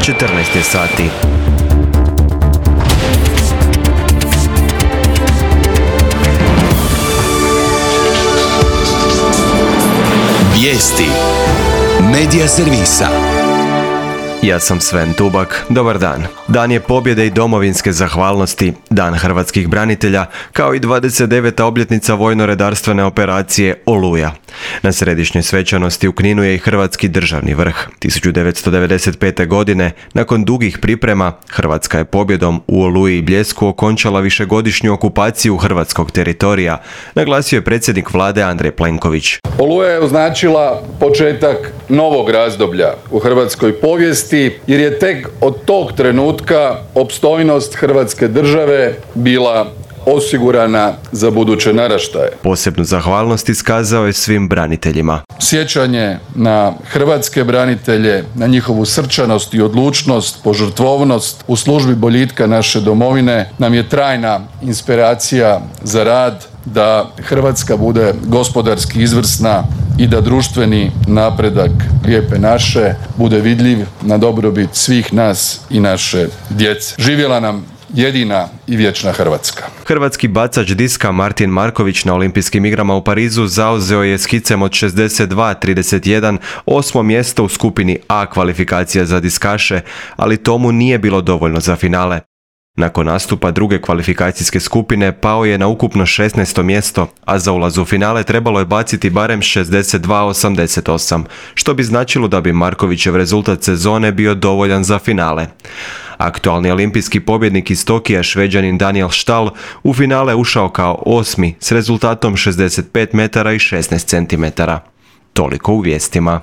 14 je sati. Vijesti Medija servisa. Ja sam Sven Tubak, dobar dan. Dan je pobjede i domovinske zahvalnosti, Dan hrvatskih branitelja, kao i 29. obljetnica vojno-redarstvene operacije Oluja. Na središnjoj svečanosti u Kninu je i Hrvatski državni vrh. 1995. godine, nakon dugih priprema, Hrvatska je pobjedom u Oluji i Bljesku okončala višegodišnju okupaciju hrvatskog teritorija, naglasio je predsjednik vlade Andrej Plenković. Oluja je označila početak novog razdoblja u hrvatskoj povijesti, jer je tek od tog trenutka opstojnost Hrvatske države bila osigurana za buduće naraštaje. Posebnu zahvalnost iskazao je svim braniteljima. Sjećanje na hrvatske branitelje, na njihovu srčanost i odlučnost, požrtvovnost u službi boljitka naše domovine nam je trajna inspiracija za rad, da Hrvatska bude gospodarski izvrsna i da društveni napredak Lijepe naše bude vidljiv na dobrobit svih nas i naše djece. Živjela nam jedina i vječna Hrvatska. Hrvatski bacač diska Martin Marković na Olimpijskim igrama u Parizu zauzeo je skicem od 62-31 osmo mjesto u skupini A kvalifikacija za diskaše, ali tomu nije bilo dovoljno za finale. Nakon nastupa druge kvalifikacijske skupine pao je na ukupno 16. mjesto, a za ulaz u finale trebalo je baciti barem 62-88, što bi značilo da bi Markovićev rezultat sezone bio dovoljan za finale. Aktualni olimpijski pobjednik iz Tokija, Šveđanin Daniel Stahl, u finale ušao kao 8. s rezultatom 65 metara i 16 centimetara. Toliko u vijestima.